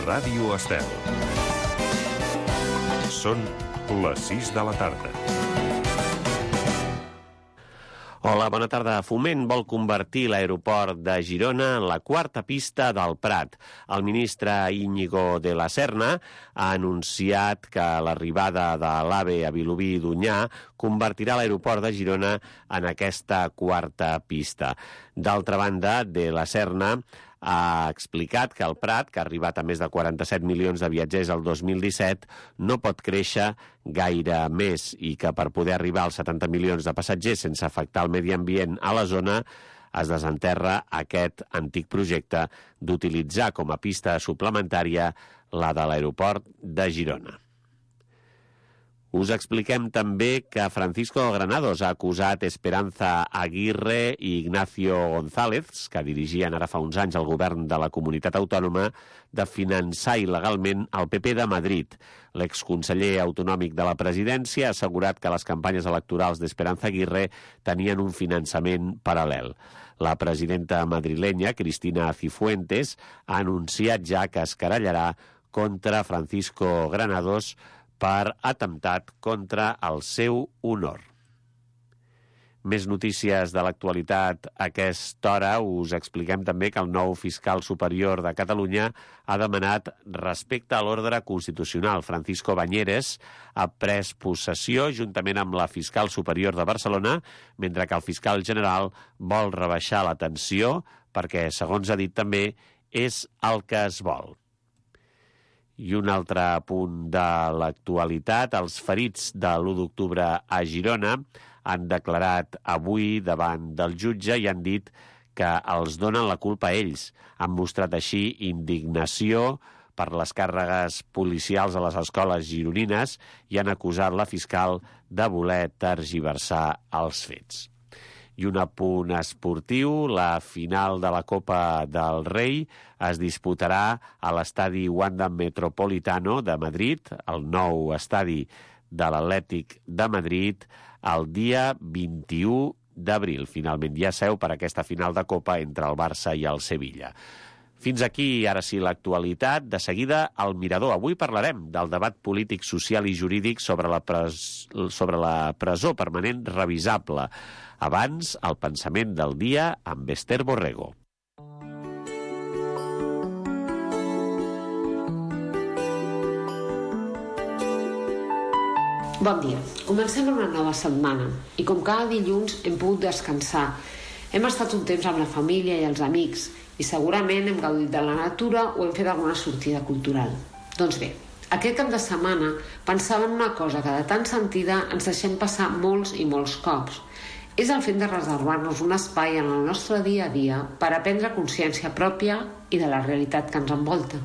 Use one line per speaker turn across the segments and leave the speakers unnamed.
Ràdio Estel. Són les 6 de la tarda.
Hola, bona tarda. Foment vol convertir l'aeroport de Girona en la quarta pista del Prat. El ministre Íñigo de la Serna ha anunciat que l'arribada de l'AVE a Vilobí i D'Onyar convertirà l'aeroport de Girona en aquesta quarta pista. D'altra banda, de la Serna ha explicat que el Prat, que ha arribat a més de 47 milions de viatgers el 2017, no pot créixer gaire més i que per poder arribar als 70 milions de passatgers sense afectar el medi ambient a la zona es desenterra aquest antic projecte d'utilitzar com a pista suplementària la de l'aeroport de Girona. Us expliquem també que Francisco Granados ha acusat Esperanza Aguirre i Ignacio González, que dirigien ara fa uns anys el govern de la comunitat autònoma, de finançar il·legalment el PP de Madrid. L'exconseller autonòmic de la presidència ha assegurat que les campanyes electorals d'Esperanza Aguirre tenien un finançament paral·lel. La presidenta madrilenya, Cristina Cifuentes, ha anunciat ja que es querellarà contra Francisco Granados per atemptat contra el seu honor. Més notícies de l'actualitat a aquesta hora. Us expliquem també que el nou fiscal superior de Catalunya ha demanat respecte a l'ordre constitucional. Francisco Bañeres ha pres possessió juntament amb la fiscal superior de Barcelona, mentre que el fiscal general vol rebaixar la tensió perquè, segons ha dit també, és el que es vol. I un altre punt de l'actualitat, els ferits de l'1 d'octubre a Girona han declarat avui davant del jutge i han dit que els donen la culpa a ells. Han mostrat així indignació per les càrregues policials a les escoles gironines i han acusat la fiscal de voler tergiversar els fets. I un apunt esportiu, la final de la Copa del Rei es disputarà a l'estadi Wanda Metropolitano de Madrid, el nou estadi de l'Atlètic de Madrid, el dia 21 d'abril. Finalment hi ha seu per aquesta final de Copa entre el Barça i el Sevilla. Fins aquí, ara sí, l'actualitat. De seguida, el Mirador. Avui parlarem del debat polític, social i jurídic sobre la presó permanent revisable. Abans, el pensament del dia amb Esther Borrego.
Bon dia. Comencem una nova setmana i com cada dilluns hem pogut descansar. Hem estat un temps amb la família i els amics i segurament hem gaudit de la natura o hem fet alguna sortida cultural. Doncs bé, aquest cap de setmana pensava en una cosa que de tan sentida ens deixem passar molts i molts cops. És el fet de reservar-nos un espai en el nostre dia a dia per a prendre consciència pròpia i de la realitat que ens envolta,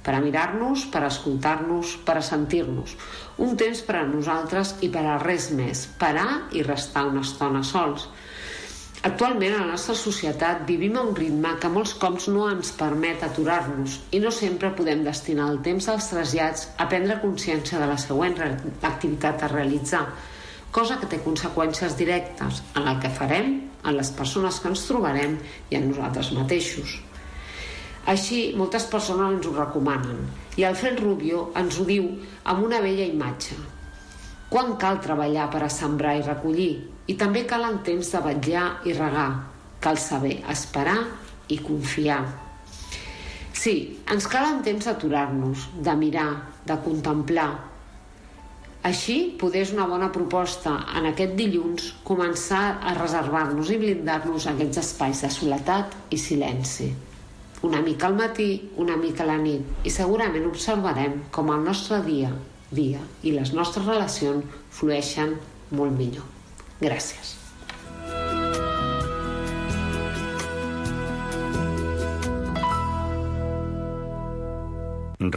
per a mirar-nos, per a escoltar-nos, per a sentir-nos. Un temps per a nosaltres i per a res més, parar i restar una estona sols. Actualment, a la nostra societat vivim a un ritme que molts cops no ens permet aturar-nos i no sempre podem destinar el temps dels trasllats a prendre consciència de la següent activitat a realitzar, cosa que té conseqüències directes en el que farem, en les persones que ens trobarem i en nosaltres mateixos. Així, moltes persones ens ho recomanen i Alfred Rubio ens ho diu amb una bella imatge. Quan cal treballar per a sembrar i recollir? I també calen temps de vetllar i regar. Cal saber esperar i confiar. Sí, ens calen temps d'aturar-nos, de mirar, de contemplar. Així, poder és una bona proposta en aquest dilluns començar a reservar-nos i blindar-nos aquests espais de soledat i silenci. Una mica al matí, una mica a la nit, i segurament observarem com el nostre dia i les nostres relacions flueixen molt millor. Gràcies.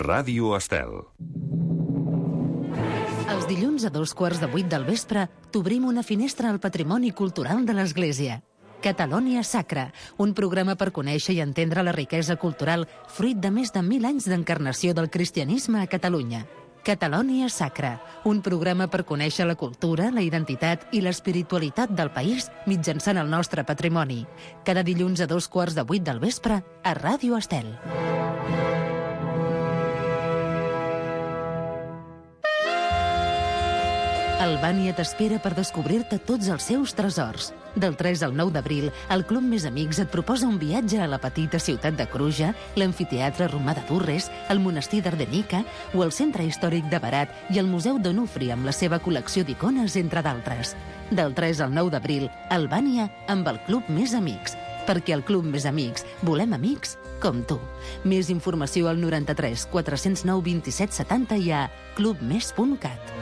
Ràdio Estel.
Els dilluns a 7:15 del vespre t'obrim una finestra al patrimoni cultural de l'Església. Catalonia Sacra, un programa per conèixer i entendre la riquesa cultural fruit de més de 1.000 anys d'encarnació del cristianisme a Catalunya. Catalonia Sacra, un programa per conèixer la cultura, la identitat i l'espiritualitat del país mitjançant el nostre patrimoni. Cada dilluns a 7:15 del vespre a Ràdio Estel. Albània t'espera per descobrir-te tots els seus tresors. Del 3 al 9 d'abril, el Club Més Amics et proposa un viatge a la petita ciutat de Cruja, l'amfiteatre romà de Durres, el monestir d'Ardenica o el centre històric de Berat i el Museu d'Onufri amb la seva col·lecció d'icones, entre d'altres. Del 3 al 9 d'abril, Albània amb el Club Més Amics. Perquè al Club Més Amics volem amics com tu. Més informació al 93 409 27 70 i a clubmes.cat.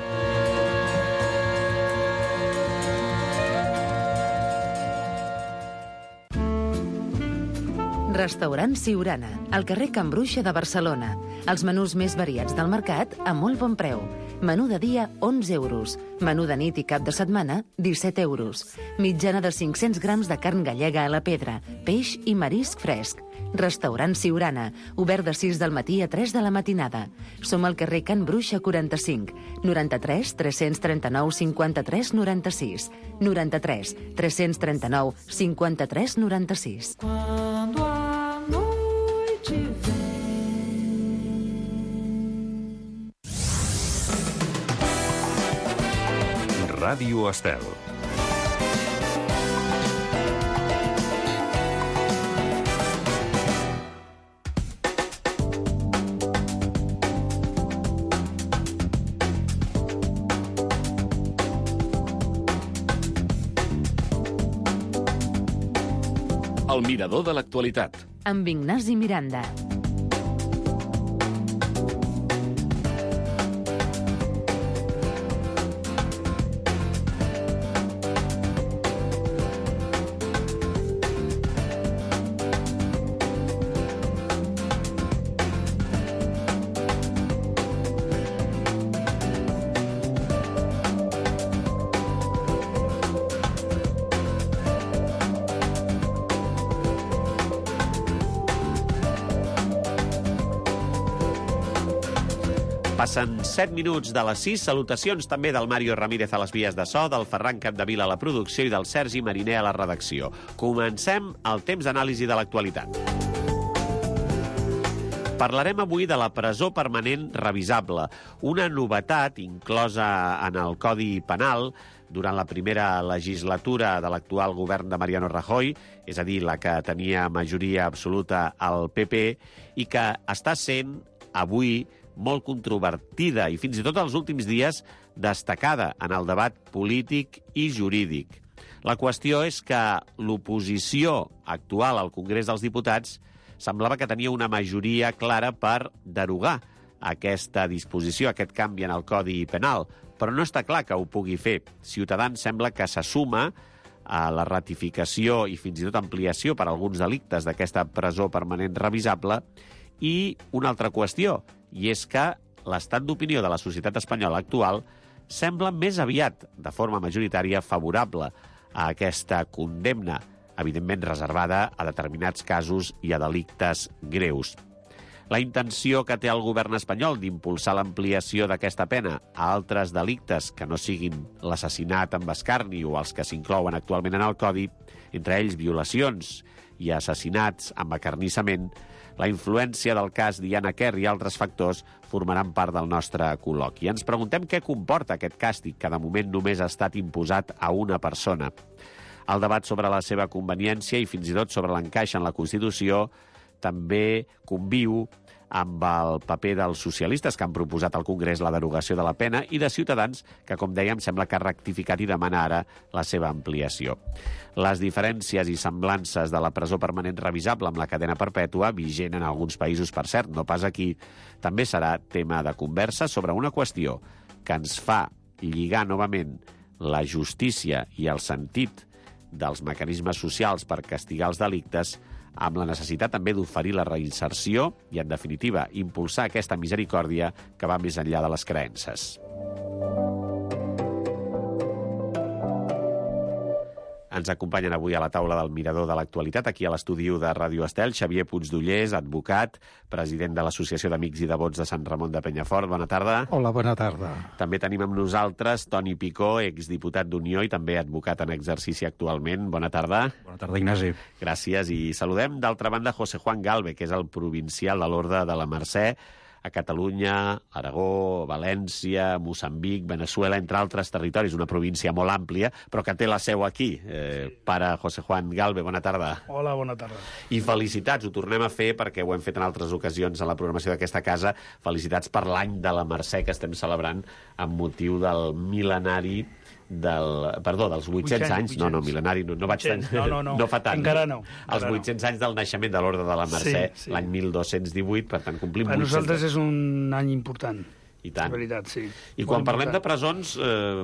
Restaurant Siurana, al carrer Can Bruixa de Barcelona. Els menús més variats del mercat a molt bon preu. Menú de dia, 11 euros. Menú de nit i cap de setmana, 17 euros. Mitjana de 500 grams de carn gallega a la pedra, peix i marisc fresc. Restaurant Siurana, obert de 6 del matí a 3 de la matinada. Som al carrer Can Bruixa 45, 93 339 53 96, 93 339 53 96.
Ràdio Estel.
El mirador de l'actualitat.
Amb Ignasi Miranda.
Passen 7 minuts de les 6. Salutacions també del Mario Ramírez a les vies de so, del Ferran Capdevila a la producció i del Sergi Mariner a la redacció. Comencem el temps d'anàlisi de l'actualitat. Parlarem avui de la presó permanent revisable, una novetat inclosa en el Codi Penal durant la primera legislatura de l'actual govern de Mariano Rajoy, és a dir, la que tenia majoria absoluta al PP, i que està sent avui molt controvertida i fins i tot els últims dies destacada en el debat polític i jurídic. La qüestió és que l'oposició actual al Congrés dels Diputats semblava que tenia una majoria clara per derogar aquesta disposició, aquest canvi en el Codi Penal, però no està clar que ho pugui fer. Ciutadans sembla que se suma a la ratificació i fins i tot ampliació per a alguns delictes d'aquesta presó permanent revisable. I una altra qüestió, i és que l'estat d'opinió de la societat espanyola actual sembla més aviat, de forma majoritària, favorable a aquesta condemna, evidentment reservada a determinats casos i a delictes greus. La intenció que té el govern espanyol d'impulsar l'ampliació d'aquesta pena a altres delictes que no siguin l'assassinat amb escarni o els que s'inclouen actualment en el Codi, entre ells violacions i assassinats amb acarnissament, la influència del cas Diana Kerr i altres factors formaran part del nostre col·loqui. Ens preguntem què comporta aquest càstig, que de moment només ha estat imposat a una persona. El debat sobre la seva conveniència i fins i tot sobre l'encaix en la Constitució també conviu amb el paper dels socialistes que han proposat al Congrés la derogació de la pena i de Ciutadans, que, com dèiem, sembla que ha rectificat i demana ara la seva ampliació. Les diferències i semblances de la presó permanent revisable amb la cadena perpètua, vigent en alguns països, per cert, no pas aquí, també serà tema de conversa sobre una qüestió que ens fa lligar novament la justícia i el sentit dels mecanismes socials per castigar els delictes amb la necessitat també d'oferir la reinserció i, en definitiva, impulsar aquesta misericòrdia que va més enllà de les creences. Ens acompanyen avui a la taula del Mirador de l'Actualitat, aquí a l'estudi de Ràdio Estel, Xavier Puigdollers, advocat, president de l'Associació d'Amics i Devots de Sant Ramon de Penyafort. Bona tarda.
Hola, bona tarda.
També tenim amb nosaltres Toni Picó, exdiputat d'Unió i també advocat en exercici actualment. Bona tarda.
Bona tarda, Ignasi.
Gràcies. I saludem, d'altra banda, José Juan Galve, que és el provincial de l'Orde de la Mercè, a Catalunya, Aragó, València, Moçambic, Veneçuela, entre altres territoris, una província molt àmplia, però que té la seu aquí. Pare José Juan Galve, bona tarda.
Hola, bona tarda.
I felicitats, ho tornem a fer perquè ho hem fet en altres ocasions en la programació d'aquesta casa. Felicitats per l'any de la Mercè que estem celebrant amb motiu del mil·lenari dels 800 anys. No, mil·lenari, no vaig tant. No fa tant.
Encara no.
Els 800 anys del naixement de l'Orde de la Mercè, l'any 1218, per tant complim 800.
Per nosaltres és un any important.
I tant.
Veritat, sí.
I quan parlem de presons,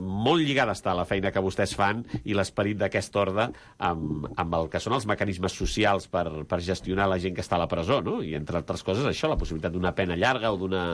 molt lligada està la feina que vostès fan i l'esperit d'aquest orde amb el que són els mecanismes socials per gestionar la gent que està a la presó, no? I entre altres coses això, la possibilitat d'una pena llarga o d'una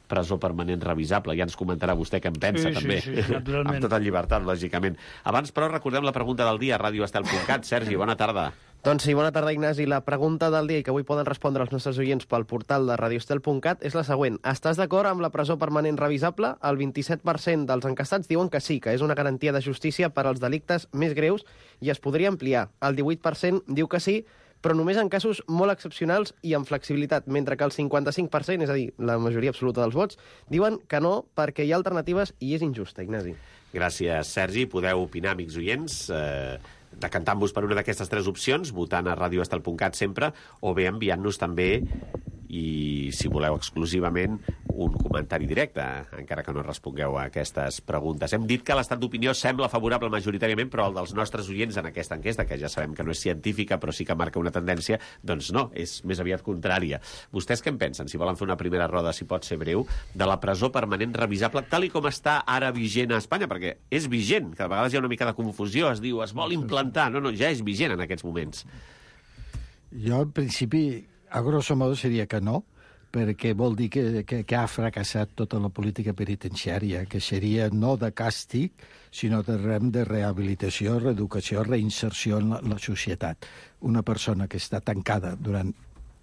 presó permanent revisable. Ja ens comentarà vostè què en pensa, també.
Sí, naturalment.
Amb tota llibertat, lògicament. Abans, però, recordem la pregunta del dia a radioestel.cat. Sergi, bona tarda.
Doncs sí, bona tarda, Ignasi. La pregunta del dia i que avui poden respondre els nostres oients pel portal de radioestel.cat és la següent. Estàs d'acord amb la presó permanent revisable? El 27% dels encastats diuen que sí, que és una garantia de justícia per als delictes més greus i es podria ampliar. El 18% diu que sí, però només en casos molt excepcionals i amb flexibilitat, mentre que el 55%, és a dir, la majoria absoluta dels vots, diuen que no perquè hi ha alternatives i és injusta, Ignasi.
Gràcies, Sergi. Podeu opinar, amics oients, decantant-vos per una d'aquestes tres opcions, votant a radioestel.cat sempre, o bé enviant-nos també, i si voleu exclusivament, un comentari directe, encara que no respongueu a aquestes preguntes. Hem dit que l'estat d'opinió sembla favorable majoritàriament, però el dels nostres oients en aquesta enquesta, que ja sabem que no és científica, però sí que marca una tendència, doncs no, és més aviat contrària. Vostès què en pensen? Si volen fer una primera roda, si pot ser breu, de la presó permanent revisable, tal i com està ara vigent a Espanya, perquè és vigent, que a vegades hi ha una mica de confusió, es diu, es vol implantar, no, ja és vigent en aquests moments.
Jo, en principi, a grosso modo seria que no, perquè vol dir que ha fracassat tota la política penitenciària, que seria no de càstig, sinó de rehabilitació, reeducació, reinserció en la societat. Una persona que està tancada durant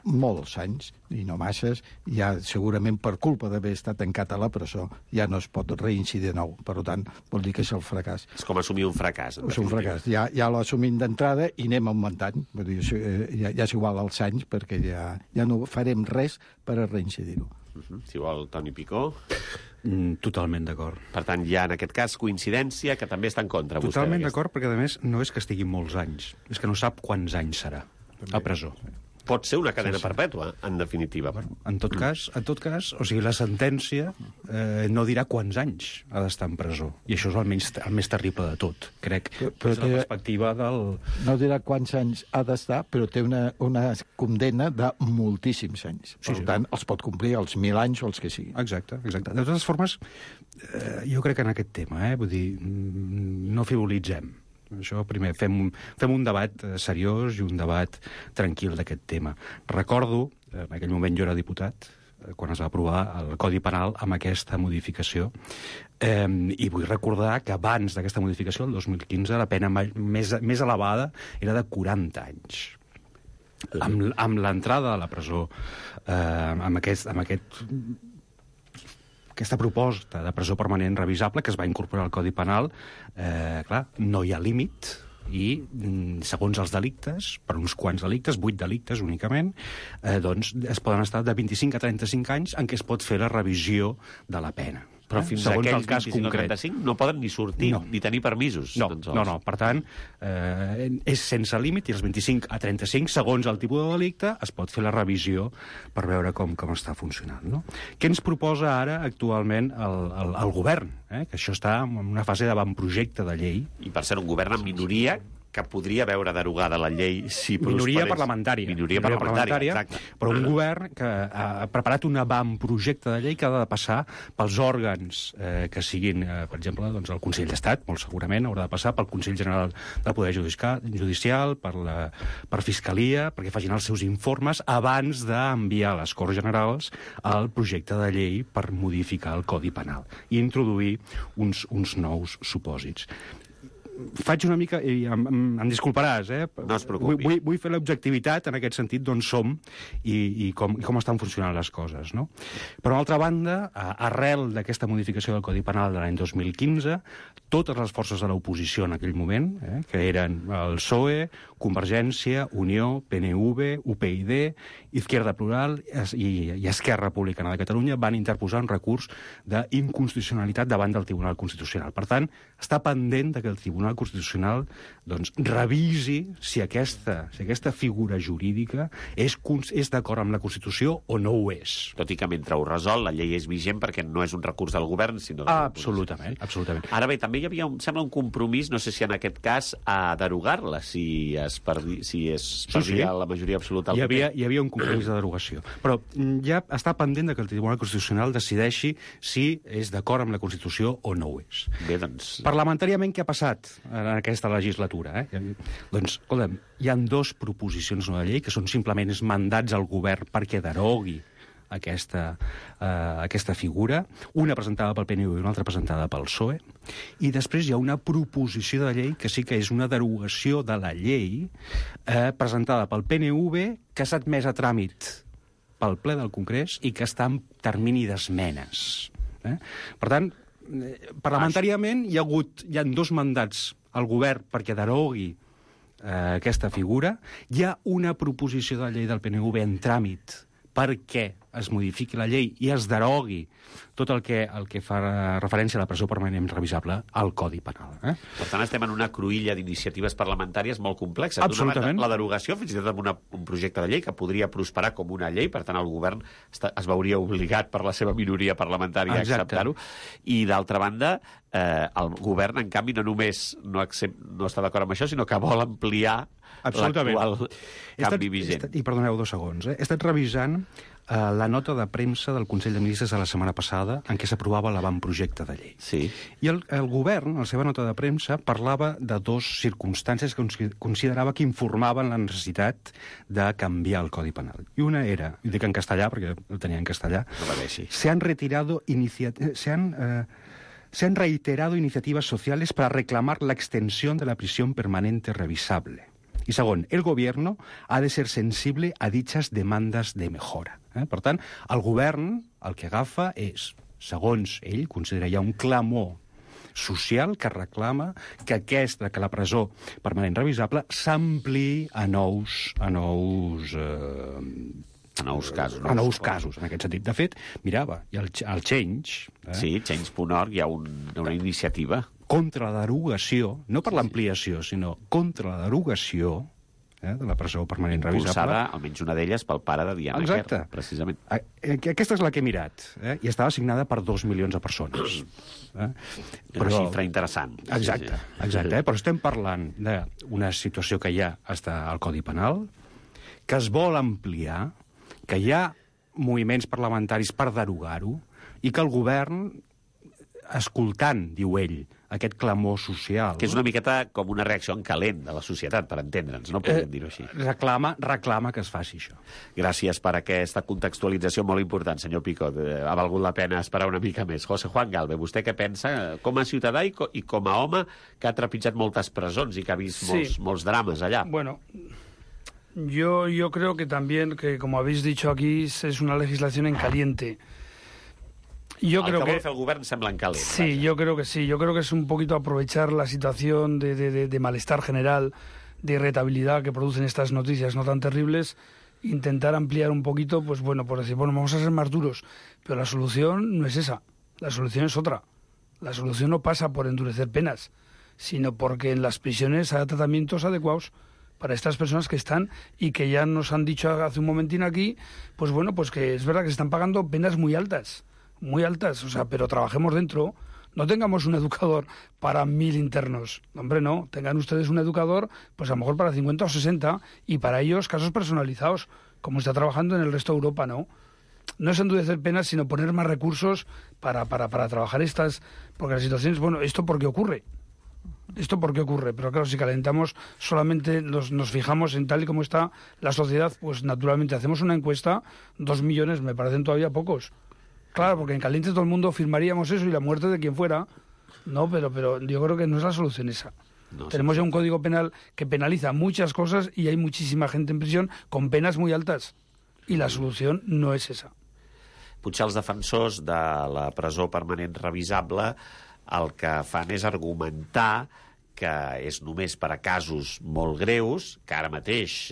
molts anys, i no masses, ja segurament per culpa d'haver estat tancat a la presó, ja no es pot reincidir de nou. Per tant, vol dir que és el fracàs.
És com assumir un fracàs.
És un fracàs. Ja l'assumim d'entrada i anem augmentant. Vull dir, ja és igual als anys, perquè ja no farem res per a reincidir-ho.
Si vol, Toni Picó.
Totalment d'acord.
Per tant, hi ha en aquest cas coincidència que també està en contra.
Totalment d'acord, perquè a més no és que estigui molts anys, és que no sap quants anys serà a presó.
Pot ser una cadena perpètua, en definitiva.
En tot cas, o sigui, la sentència no dirà quants anys ha d'estar en presó. I això és el més terrible de tot, crec. Però la perspectiva del...
No dirà quants anys ha d'estar, però té una condemna de moltíssims anys. Per tant, els pot complir els 1.000 anys o els que siguin.
Exacte. De totes formes, jo crec que en aquest tema, vull dir, no frivolitzem. Això, primer, fem un debat seriós i un debat tranquil d'aquest tema. Recordo, en aquell moment jo era diputat, quan es va aprovar el Codi Penal amb aquesta modificació, i vull recordar que abans d'aquesta modificació, el 2015, la pena més elevada era de 40 anys. Amb l'entrada a la presó, amb aquesta proposta de presó permanent revisable que es va incorporar al Codi Penal, clar, no hi ha límit i, segons els delictes, per uns quants delictes, 8 delictes únicament, doncs es poden estar de 25 a 35 anys en què es pot fer la revisió de la pena.
Però fins segons aquells 25 o 35 no poden ni sortir, ni tenir permisos.
No. Per tant, és sense límit i els 25 a 35, segons el tipus de delicte, es pot fer la revisió per veure com està funcionant. No? Què ens proposa ara actualment el govern? Que això està en una fase d'avantprojecte de llei.
I per ser un govern en minoria, que podria veure derogada la llei si
minoria parlamentària.
Minoria parlamentària, exacte.
Però un govern que ha preparat un avantprojecte de llei que ha de passar pels òrgans que siguin, per exemple, doncs el Consell d'Estat, molt segurament haurà de passar pel Consell General del Poder Judicial, per Fiscalia, perquè facin els seus informes abans d'enviar a les Corts Generals el projecte de llei per modificar el Codi Penal i introduir uns nous supòsits. faig una mica, i em disculparàs,
No es preocupi.
Vull fer l'objectivitat en aquest sentit d'on som i com estan funcionant les coses, no? Per una altra banda, arrel d'aquesta modificació del Codi Penal de l'any 2015, totes les forces de l'oposició en aquell moment, que eren el PSOE, Convergència, Unió, PNV, UPyD, Izquierda Plural i Esquerra Republicana de Catalunya van interposar un recurs d'inconstitucionalitat davant del Tribunal Constitucional. Per tant, està pendent que el Tribunal Constitucional revisi si aquesta figura jurídica és d'acord amb la Constitució o no ho és.
Tot i que mentre ho resol, la llei és vigent perquè no és un recurs del govern, sinó...
Absolutament.
Ara bé, també hi havia, sembla, un compromís, no sé si en aquest cas, a derogar-la, si es perdia la majoria absoluta.
Hi havia un compromís de derogació. Però ja està pendent que el Tribunal Constitucional decideixi si és d'acord amb la Constitució o no ho és.
Bé, doncs...
Parlamentàriament, què ha passat en aquesta legislatura? Doncs, escolta'm, hi ha 2 proposicions de llei que són simplement mandats al govern perquè derogui aquesta figura, una presentada pel PNV i una altra presentada pel PSOE, i després hi ha una proposició de llei que sí que és una derogació de la llei presentada pel PNV que s'ha admès a tràmit pel ple del Congrés i que està en termini d'esmenes. Per tant, parlamentàriament hi ha 2 mandats al govern perquè derogui aquesta figura. Hi ha una proposició de llei del PNV en tràmit perquè es modifiqui la llei i es derogui tot el que fa referència a la presó permanent revisable al Codi Penal.
Per tant, estem en una cruïlla d'iniciatives parlamentàries molt complexa.
Absolutament.
La derogació, fins i tot amb un projecte de llei que podria prosperar com una llei, per tant, el govern es veuria obligat per la seva minoria parlamentària a acceptar-ho. I, d'altra banda, el govern, en canvi, no només no està d'acord amb això, sinó que vol ampliar l'actual canvi vigent.
I perdoneu 2 segons. He estat revisant la nota de premsa del Consell de Ministres de la setmana passada en què s'aprovava l'avantprojecte de llei.
Sí.
I el govern, a la seva nota de premsa, parlava de 2 circumstàncies que considerava que informaven la necessitat de canviar el Codi Penal. I una era, i dic en castellà perquè el tenia en castellà,
no va bé, sí.
se han reiterado iniciativas sociales para reclamar la extensión de la prisión permanente revisable. Y segon, el gobierno ha de ser sensible a dichas demandas de mejora. Per tant, el govern el que agafa és, segons ell, considera ja un clamor social que reclama que la presó permanent revisable s'ampliï a nous casos. A nous casos, en aquest sentit. De fet, mirava, i el Change...
Sí, Change.org, hi ha una iniciativa
contra la derogació, no per l'ampliació, sinó contra la derogació de la presó permanent revisable.
Impulsada, almenys una d'elles, pel pare de Diana Kerr, precisament.
Aquesta és la que he mirat, i estava signada per 2 milions de persones.
Una xifra interessant.
Exacte, però estem parlant d'una situació que ja està al Codi Penal, que es vol ampliar, que hi ha moviments parlamentaris per derogar-ho, i que el govern, escoltant, diu ell, aquest clamor social...
Que és una miqueta com una reacció en calent de la societat, per entendre'ns, no podríem dir-ho així.
Reclama que es faci això.
Gràcies per aquesta contextualització molt important, senyor Picot. Ha valgut la pena esperar una mica més. José Juan Galve, vostè què pensa com a ciutadà i com a home que ha trepitjat moltes presons i que ha vist molts drames allà?
Bueno, yo creo que también, que como habéis dicho aquí, es una legislación en caliente.
Yo creo que vol fer el govern sembla en calent.
Sí, yo creo que sí. Yo creo que es un poquito aprovechar la situación de malestar general, de irritabilidad que producen estas noticias no tan terribles, intentar ampliar un poquito, pues bueno, por decir, bueno, vamos a ser más duros. Pero la solución no es esa. La solución es otra. La solución no pasa por endurecer penas, sino porque en las prisiones haya tratamientos adecuados para estas personas que están y que ya nos han dicho hace un momentín aquí, pues bueno, pues que es verdad que se están pagando penas muy altas, o sea, pero trabajemos dentro. No tengamos un educador para 1000 internos. Hombre, no. Tengan ustedes un educador, pues a lo mejor para 50 o 60, y para ellos casos personalizados, como está trabajando en el resto de Europa, ¿no? No es endurecer penas, sino poner más recursos para trabajar estas... Porque las situaciones, bueno, ¿esto por qué ocurre? Pero claro, si calentamos solamente nos fijamos en tal y como está la sociedad, pues naturalmente hacemos una encuesta, 2 millones me parecen todavía pocos. Claro, porque en caliente todo el mundo firmaríamos eso y la muerte de quien fuera. No, pero yo creo que no es la solución esa. Tenemos ya un código penal que penaliza muchas cosas y hay muchísima gente en prisión con penas muy altas. Y la solución no es esa.
Potser els defensors de la presó permanent revisable el que fan és argumentar que és només per a casos molt greus, que ara mateix,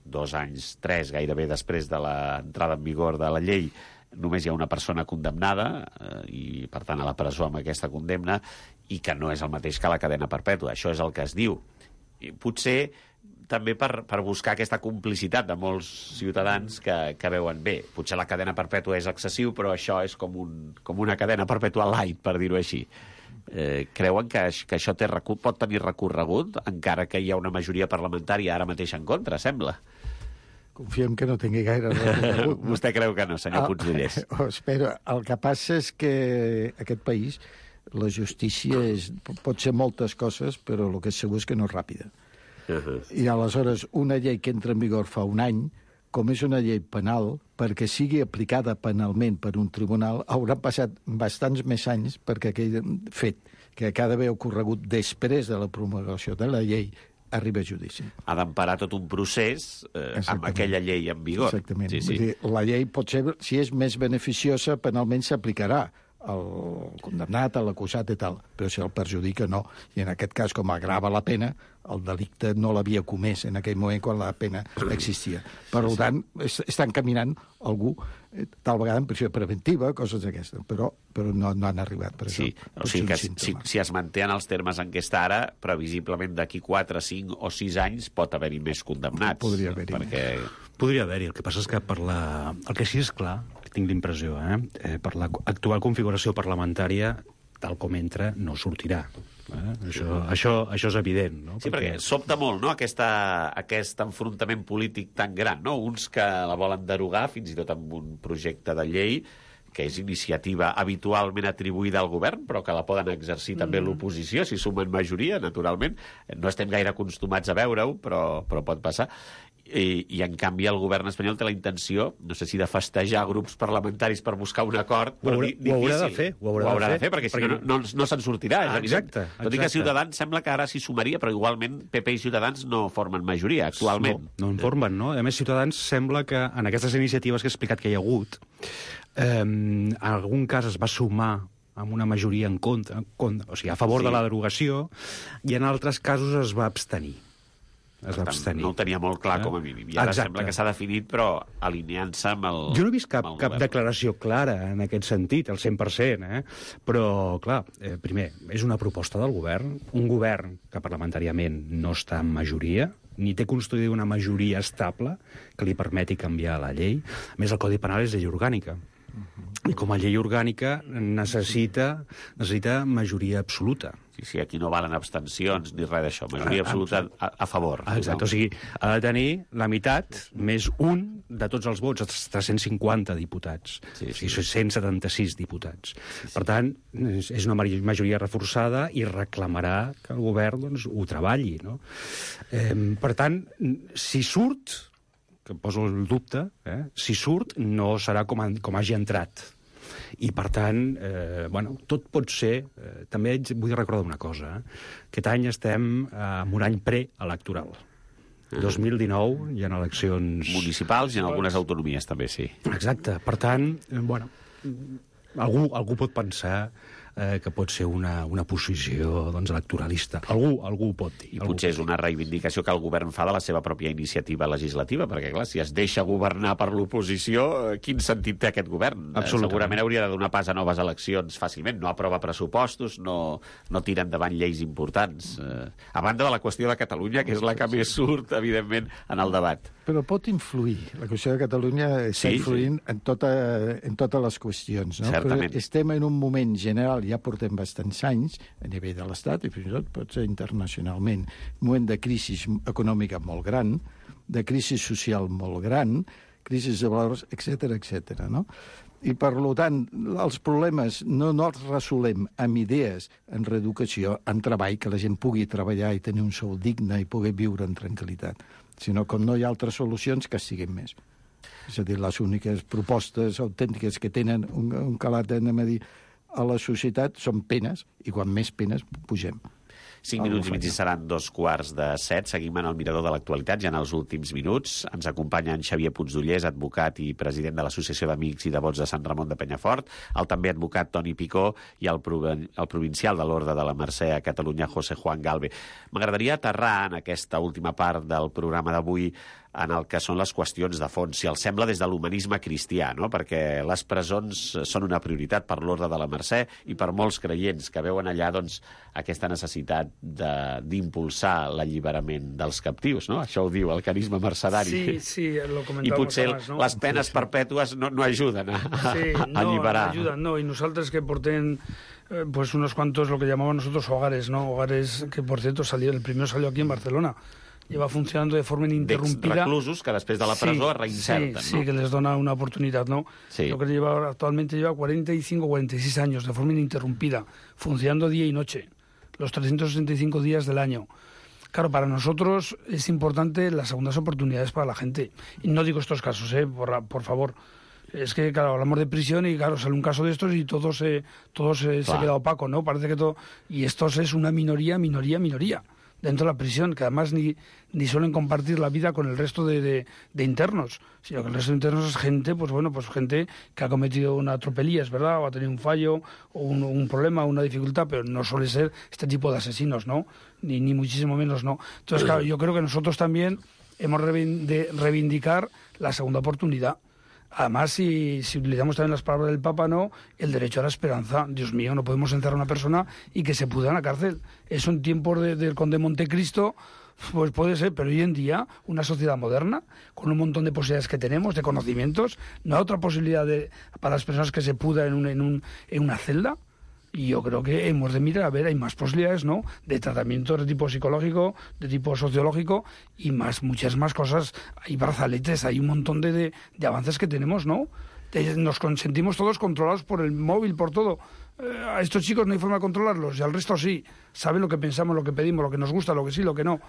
2 anys, 3, gairebé després de l'entrada en vigor de la llei, només hi ha una persona condemnada i, per tant, a la presó amb aquesta condemna, i que no és el mateix que la cadena perpètua. Això és el que es diu. I potser també per buscar aquesta complicitat de molts ciutadans que veuen bé. Potser la cadena perpètua és excessiu, però això és com una cadena perpètua light, per dir-ho així. Creuen que això pot tenir recorregut, encara que hi ha una majoria parlamentària ara mateix en contra, sembla?
Confiem que no tingui gaire recorregut.
Vostè creu que no, senyor Puigdellers?
Espera, el que passa és que aquest país, la justícia pot ser moltes coses, però el que és segur és que no és ràpida. I aleshores una llei que entra en vigor fa un any, com és una llei penal, perquè sigui aplicada penalment per un tribunal, haurà passat bastants més anys perquè aquell fet que ha d'haver ocorregut després de la promulgació de la llei arriba a judici.
Ha d'emparar tot un procés amb aquella llei en vigor.
Exactament.
Sí.
Vull dir, la llei pot ser, si és més beneficiosa, penalment s'aplicarà al condemnat, a l'acusat i tal, però si el perjudica no. I en aquest cas, com agrava la pena, el delicte no l'havia comès en aquell moment quan la pena existia. Per tant, estan caminant algú, tal vegada en prisió preventiva, coses d'aquestes, però no han arribat per això.
Sí, o sigui que si es mantenen els termes en què està ara, previsiblement d'aquí 4, 5 o 6 anys pot haver-hi més condemnats.
Podria haver-hi.
Podria haver-hi. El que passa és que el que sí és clar, tinc l'impressió, per l'actual configuració parlamentària, tal com entra, no sortirà. Això és evident. No?
Sí, perquè sobta molt, no?, aquest enfrontament polític tan gran, no? Uns que la volen derogar, fins i tot amb un projecte de llei, que és iniciativa habitualment atribuïda al govern, però que la poden exercir també l'oposició, si sumen majoria, naturalment. No estem gaire acostumats a veure-ho, però pot passar. I en canvi el govern espanyol té la intenció, no sé si de festejar grups parlamentaris per buscar un acord, però
ho haurà de fer.
Ho haurà de fer, perquè si no se'n sortirà.
Exacte.
Tot i que Ciutadans sembla que ara s'hi sumaria, però igualment PP i Ciutadans no formen majoria actualment.
No en formen, no? A més, Ciutadans sembla que en aquestes iniciatives que he explicat que hi ha hagut, en algun cas es va sumar amb una majoria en contra, o sigui, a favor de la derogació, i en altres casos es va abstenir.
No ho tenia molt clar com a mínim. I ara sembla que s'ha definit, però alineant-se amb el...
Jo no he vist cap declaració clara en aquest sentit, al 100%, però, clar, primer, és una proposta del govern, un govern que parlamentàriament no està en majoria, ni té construïda una majoria estable que li permeti canviar la llei. A més, el Codi Penal és llei orgànica. I com a llei orgànica necessita majoria absoluta.
Sí, aquí no valen abstencions ni res d'això. Majoria absoluta a favor.
Exacte, o sigui, ha de tenir la meitat més un de tots els vots, els 350 diputats. O sigui, 176 diputats. Per tant, és una majoria reforçada i reclamarà que el govern ho treballi, no? Per tant, si surt, que poso el dubte, si surt no serà com hagi entrat. I, per tant, tot pot ser... També vull recordar una cosa. Aquest any estem en un any preelectoral. 2019 hi ha eleccions...
municipals i en algunes autonomies també, sí.
Exacte. Per tant, algú pot pensar que pot ser una posició electoralista. Algú ho pot dir.
I potser és una reivindicació que el govern fa de la seva pròpia iniciativa legislativa, perquè, clar, si es deixa governar per l'oposició, quin sentit té aquest govern? Segurament hauria de donar pas a noves eleccions fàcilment. No aprova pressupostos, no tira endavant lleis importants. A banda de la qüestió de Catalunya, que és la que més surt, evidentment, en el debat.
Però pot influir. La qüestió de Catalunya està influint en totes les qüestions. No?
Certament.
Però estem en un moment general, ja portem bastants anys, a nivell de l'Estat, i fins i tot pot ser internacionalment, un moment de crisi econòmica molt gran, de crisi social molt gran, crisi de valors, etc., no? I, per tant, els problemes no els resolem amb idees en reeducació, en treball, que la gent pugui treballar i tenir un sou digne i poder viure en tranquil·litat, sinó com no hi ha altres solucions, que siguin més. És a dir, les úniques propostes autèntiques que tenen un calat, anem a dir, a la societat són penes, i quan més penes pugem.
5 minuts i mig i seran 2:45. Seguim en el mirador de l'actualitat, ja en els últims minuts. Ens acompanya en Xavier Puigdollers, advocat i president de l'Associació d'Amics i Devots de Sant Ramon de Penyafort, el també advocat Toni Picó i el provincial de l'Orde de la Mercè a Catalunya, José Juan Galve. M'agradaria aterrar en aquesta última part del programa d'avui en el que són les qüestions de fons, si els sembla des de l'humanisme cristià, no? Perquè les presons són una prioritat per l'Orde de la Mercè i per molts creients que veuen allà doncs, aquesta necessitat d'impulsar l'alliberament dels captius, no? Això ho diu el carisma mercedari.
Sí, lo comentàvem.
I potser
abans, no?
les penes perpètues no ajuden a alliberar.
No ayudan, no. Y nosotros que porten pues unos cuantos, lo que llamamos nosotros hogares, ¿no? Hogares que, por cierto, el primero salió aquí en Barcelona. Lleva funcionando de forma ininterrumpida.
Reclusos que després de la presó es reinserten, ¿no?
Sí, que les dona una oportunidad, ¿no?
Sí.
Lo que actualmente lleva 45 o 46 años de forma ininterrumpida, funcionando día y noche, los 365 días del año. Claro, para nosotros es importante las segundas oportunidades para la gente. Y no digo estos casos, por favor. Es que, claro, hablamos de prisión y, claro, sale un caso de estos y todo se queda opaco, ¿no? Parece que todo... Y estos es una minoría dentro de la prisión, que además ni suelen compartir la vida con el resto de internos, sino que el resto de internos es gente, pues gente que ha cometido una tropelía, es verdad, o ha tenido un fallo, o un problema, una dificultad, pero no suele ser este tipo de asesinos, ¿no? Ni muchísimo menos, ¿no? Entonces, claro, yo creo que nosotros también hemos de reivindicar la segunda oportunidad. Además, si utilizamos también las palabras del Papa, ¿no? El derecho a la esperanza. Dios mío, no podemos encerrar a una persona y que se pudra en la cárcel. Eso en tiempos del Conde Montecristo, pues puede ser, pero hoy en día, una sociedad moderna, con un montón de posibilidades que tenemos, de conocimientos, no hay otra posibilidad para las personas que se pudran en una celda. Y yo creo que hemos de mirar, a ver, hay más posibilidades, ¿no?, de tratamiento de tipo psicológico, de tipo sociológico y muchas más cosas. Hay brazaletes, hay un montón de avances que tenemos, ¿no? Nos sentimos todos controlados por el móvil, por todo. A estos chicos no hay forma de controlarlos y al resto sí. Saben lo que pensamos, lo que pedimos, lo que nos gusta, lo que sí, lo que no.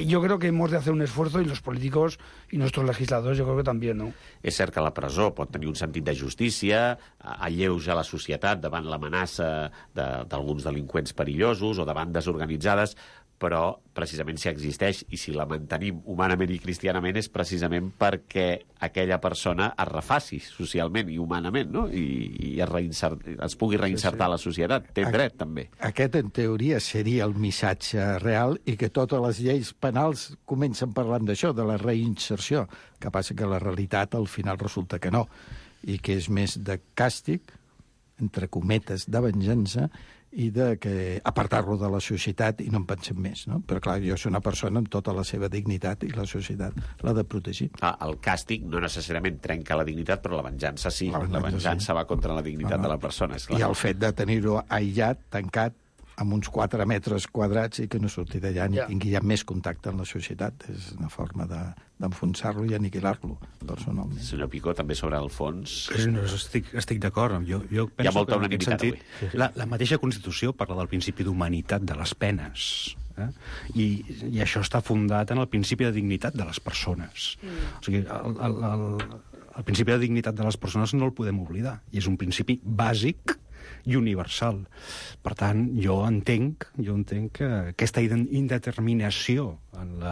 Yo creo que hemos de hacer un esfuerzo, y los políticos y nuestros legisladores yo creo que también, no?
És cert que la presó pot tenir un sentit de justícia, alleuja la societat davant l'amenaça d'alguns delinqüents perillosos o de bandes organitzades, però precisament si existeix i si la mantenim humanament i cristianament és precisament perquè aquella persona es refaci socialment i humanament, no? I es pugui reinsertar a la societat. Té dret, també.
Aquest, en teoria, seria el missatge real, i que totes les lleis penals comencen parlant d'això, de la reinserció. Que passa que la realitat al final resulta que no, i que és més de càstig, entre cometes, de venjança, i de que apartar-lo de la societat i no en pensem més, no? Però clar, jo soc una persona amb tota la seva dignitat i la societat l'ha de protegir.
El càstig no necessàriament trenca la dignitat, però la venjança sí. La venjança va contra la dignitat de la persona, és clar.
I el fet de tenir-ho aïllat, tancat, amb uns 4 metres quadrats i que no surti d'allà ni tingui ja més contacte amb la societat. És una forma d'enfonsar-lo i aniquilar-lo, personalment.
Senyor Picó, també sobre el fons...
No, estic d'acord. Jo penso
hi ha molta unanimitat avui.
La mateixa Constitució parla del principi d'humanitat de les penes. I això està fundat en el principi de dignitat de les persones. O sigui, el principi de dignitat de les persones no el podem oblidar. I és un principi bàsic i universal. Per tant, jo entenc que aquesta indeterminació en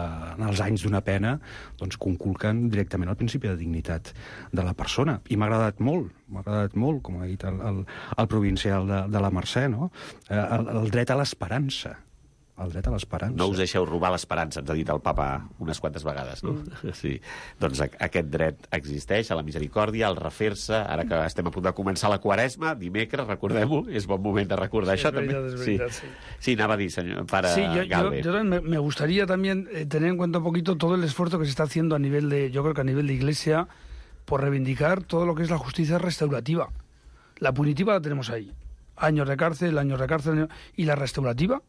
els anys d'una pena doncs conculquen directament el principi de dignitat de la persona. I m'ha agradat molt, com ha dit el provincial de la Mercè, no? El dret a l'esperança. El dret a l'esperança.
No us deixeu robar l'esperança, ens ha dit el papa unes quantes vegades, no? Sí. Doncs aquest dret existeix, a la misericòrdia, al refer-se, ara que estem a punt de començar la Quaresma, dimecres, recordem-ho, és bon moment de recordar això, també.
Es verdad, sí.
Sí, anava a dir, senyor, para Galve.
Yo me gustaría también tener en cuenta un poquito todo el esfuerzo que se está haciendo yo creo que a nivel de Iglesia, por reivindicar todo lo que es la justicia restaurativa. La punitiva la tenemos ahí. Años de cárcel, y la restaurativa,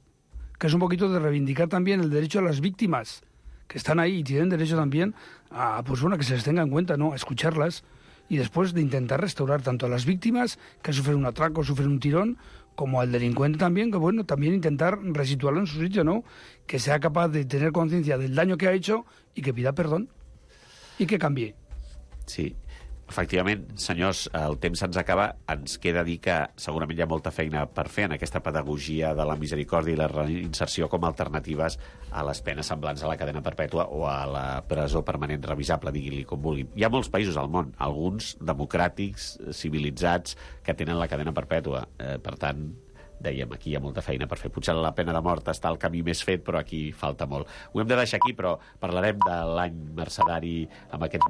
que es un poquito de reivindicar también el derecho a las víctimas, que están ahí y tienen derecho también a que se les tenga en cuenta, ¿no?, a escucharlas, y después de intentar restaurar tanto a las víctimas que sufren un atraco, sufren un tirón, como al delincuente también, que bueno, también intentar resituarlo en su sitio, ¿no?, que sea capaz de tener conciencia del daño que ha hecho y que pida perdón y que cambie.
Sí. Efectivament, senyors, el temps se'ns acaba. Ens queda dir que segurament hi ha molta feina per fer en aquesta pedagogia de la misericòrdia i la reinserció com a alternatives a les penes semblants a la cadena perpètua o a la presó permanent revisable, digui-li com vulgui. Hi ha molts països al món, alguns democràtics, civilitzats, que tenen la cadena perpètua. Per tant, dèiem, aquí hi ha molta feina per fer. Potser la pena de mort està el camí més fet, però aquí falta molt. Ho hem de deixar aquí, però parlarem de l'any mercedari amb aquests